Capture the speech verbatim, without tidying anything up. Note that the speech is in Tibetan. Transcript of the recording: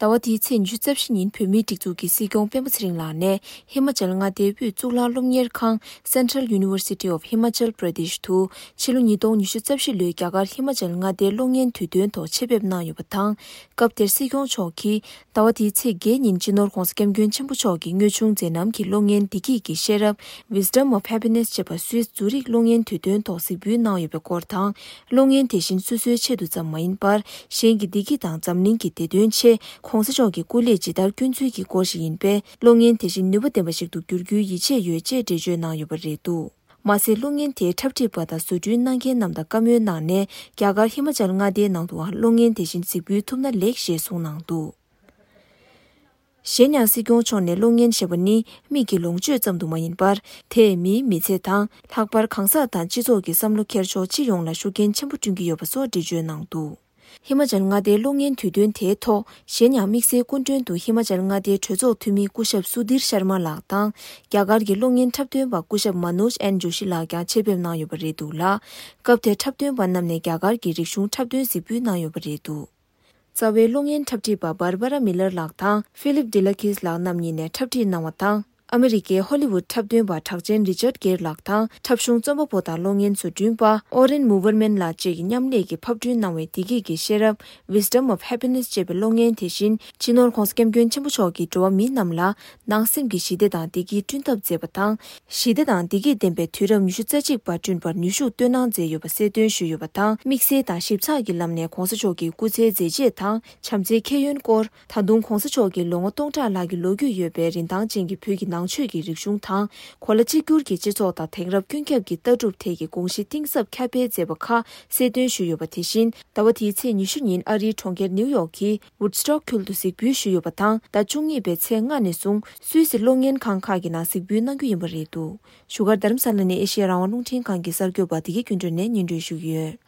ཟླ་བ་འདིའི་ཚེས་ཉི་ཤུ་རྩ་བཞི་ཉིན་བོད་མིའི་སྒྲིག་འཛུགས་ཀྱི་སྲིད་སྐྱོང་སྤེན་པ་ཚེ་རིང་ལགས་ནས་ཧི་མ་ཅལ་མངའ་སྡེའི་དབུས་གཙུག་ལག་སློབ་གཉེར་ཁང་Central University of Himachal Pradesh དུ་ཕྱི་ལོ་ཉིས་སྟོང་ཉི་ཤུ་རྩ་བཞི་ལོའི་རྒྱ་གར་ཧི་མ་ཅལ་མངའ་སྡེའི་གློག་བརྙན་དུས་སྟོན་ཐོག་ཆེད་ཕེབས་གནང་ཡོད་པ་དང་། སྐབས་དེར་སྲིད་སྐྱོང་མཆོག་གིས་ཟླ་བ་འདིའི་ཚེས་བརྒྱད་ཉིན་སྤྱི་ནོར་༧གོང་ས་༧སྐྱབས་མགོན་ཆེན་པོ་མཆོག་གི་དངོས་བྱུང་མཛད་རྣམ་གྱི་གློག་བརྙན་བདེ་སྐྱིད་ཀྱི་ཤེས་རབ་Wisdom of Happiness ཅེས་པ་སུད་སི་ཛུ་རིག་གློག་བརྙན་དུས་སྟོན་ཐོག་གཟིགས་འབུལ་གནང་ཡོད་པའི་སྐོར་དང་། གློག་བརྙན་དེ་བཞིན་སོ་སོའི་ཆེད་དུ་ཙམ་མ་ཡིན་པར། གཞན་གྱི་བདེ་སྐྱིད་དང་འཛམ་གླིང་གི་བདེ་དོན་ཆེད་༧གོང་ས་མཆོག་གི་སྐུ་ལས་ཇི་ལྟར་བསྐྱོན་ཚུལ་གྱི་སྐོར་ཞིག་ཡིན་པས། གློག་བརྙན་དེ་བཞིན་ནུས་པ་ལྡན་པ་ཞིག་ཏུ་འགྱུར་རྒྱུའི་ཡིད་ཆེས་ཡོད་ཅེས་འགྲེལ་བརྗོད་གནང་ཡོད་པ་རེད་འདུག་མ་ཟད། གློག་བརྙན་དེའི་འཁྲབ་ཁྲིད་པ་དང་བཟོ་སྐྲུན་གནང་མཁན་རྣམས་དང་བཀའ་མོལ་གནང་ནས། རྒྱ་གར་ཧི་མ་ཅལ་མངའ་སྡེའི་ནང་དུའང་གློག་བརྙན་དེ་བཞིན་གཟིགས་འབུལ་ཐུབ་ན་ལེགས་ཞེས་གསུངས་གནང་འདུག་གཞན་ཡང་། སྲིད་སྐྱོང་མཆོག་ནས་གློག་བརྙན་ཞེས་པ་ནི་མིག་གི་ལོངས་སྤྱོད་ཙམ་དུ་མ་ཡིན་པར། དེས་མིའི་མི་ཚེ་དང་། ལྷག་པར་གང་ཟག་དང་སྤྱི་ཚོགས་ཀྱི་བསམ་བློ་འཁྱེར་ཕྱོགས་སྤྱི་ཡོངས་ལ་ཤུགས་རྐྱེན་ཆེན་པོ་བསྐྲུན་གྱི་ཡོད་པ་སོགས་འགྲེལ་བརྗོད་གནང་འདུག་ཧི་མ་ཅལ་མངའ་སྡེའི་གློག་བརྙན་དུས་སྟོན་དེའི་ཐོག་གཞན་ཡང་། དམིགས་བསལ་སྐུ་མགྲོན་དུ་ཧི་མ་ཅལ་མངའ་སྡེའི་གྲོས་ཚོགས་འཐུས་མི་སྐུ་ཞབས་སུ་དིར་ཤར་མ་ལགས་དང་། རྒྱ་གར་གྱི་གློག་བརྙན་འཁྲབ་སྟོན་པ་སྐུ་ཞབས་མ་ནོཇ་ཨེན་ཇོ་ཤི་ལགས་ཀྱང་ཆེད་ཕེབས་གནང་ཡོད་པ་རེད་འདུག་ལ། སྐབས་དེར་འཁྲབ་སྟོན་པ་རྣམས་ནས་རྒྱ་གར་གྱི་རིག་གཞུང་འཁྲབ་སྟོན་གཟིགས་འབུལ་གནང་ཡོད་པ་རེད་འདུག་རྩ་བའི་གློག་བརྙན་འཁྲབ་ཁྲིད་པ་Barbara Miller ལགས་དང་Philip Delakis ལགས་རྣམ་གཉིས་ནས་འཁྲབ་ཁྲིད་གནང་བ་དང་། ཨ་མི་རི་ཀའི་ཧོ་ལི་ཝུད་འཁྲབ་སྟོན་པ་གྲགས་ཅན་Richard Gere ལགས་དང་། འཁྲབ་གཞུང་རྩོམ་པ་པོ་དང་གློག་བརྙན་བཟོ་སྐྲུན་པ་Oren Moverman ལགས་བཅས་ཀྱིས་མཉམ་ལས་ཀྱིས་ཕབ་སྐྲུན་གནང་བའི་བདེ་སྐྱིད་ཀྱི་ཤེས་རབ་Wisdom of Happiness ཅེས་པའི་གློག་བརྙན་དེ་བཞིན། སྤྱི་ནོར་༧གོང་ས་༧སྐྱབས་མགོན་ཆེན་པོ་མཆོག་གིས་འགྲོ་བ་མི་རྣམས་ལ་ནང་སེམས་ཀྱི་ཞི་བདེ་དང་བདེ་སྐྱིད་བསྐྲུན་ཐབས་མཛད་པ་དང་། ཞི་བདེ་དང་བདེ་སྐྱིད་ལྡན་པའི་དུས་རབས་ཉི་ཤུ་རྩ་གཅིག་པ་བསྐྲུན་པར་ནུས་ཤུགས་བཏོན་གནང་མཛད་ཡོད་པ་གསལ་སྟོན་ཞུས་ཡོད་པ་དང་། དམིགས་བསལ་དང་ཞིབ་ཚགས་ཀྱི་ལམ་ནས་༧གོང་ས་མཆོག་གི་སྐུ་ཚེའི་མཛད་རྗེས་དང་། བྱམས་བརྩེའི་ཁྱད་ཡོན་སྐོར། ད་དུང་༧གོང་ས་མཆོག་གིས་ལོ་ངོ་སྟོང་ཕྲག་ལྷག་གི་ལོ་རྒྱུས་ཡོད་པའི་རིན་ཐང་ཅན་གྱི་བོད་ཀྱི་ནང་ཆོས་ཀྱི་རིག་གཞུང་དང་། གོ་ལ་གཅིག་གྱུར་གྱི་སྤྱི་ཚོགས་དང་དེང་རབས་ཀུན་ཁྱབ་ཀྱི་ལྟ་གྲུབ་ཐད་ཀྱི་དགོངས་གཞི་གཏིང་ཟབ་ཁྱབ་སྤེལ་མཛད་པ་ཁག་གསལ་སྟོན་ཞུས་ཡོད་པ། དེ་བཞིན། ཟླ་བ་འདིའི་ཚེས་ཉི་ཤུ་ཉིན་ཨ་རིའི་གྲོང་ཁྱེར་ནིའུ་ཡོག་གི་Woodstock ཁུལ་དུ་གཟིགས་འབུལ་ཞུས་ཡོད་པ་དང་། ཟླ་བཅུ་གཉིས་པའི་ཚེས་ལྔ་ནས་བཟུང་སུད་སི་གློག་བརྙན་ཁང་ཁག་གི་ནང་གཟིགས་འབུལ་གནང་རྒྱུ་ཡིན་པ་རེད་འདུག་བཞུགས་སྒར་རྡ་རམ་ས་ལ་ནས་ཨེ་ཤེ་ཡ་རང་དབང་རླུང་འཕྲིན་ཁང་གི་གསར་འགོད་པ་བདེ་སྐྱིད་ཀུན་སྒྲོན་ནས་སྙན་སྒྲོན་ཞུ་གི་ཡོད།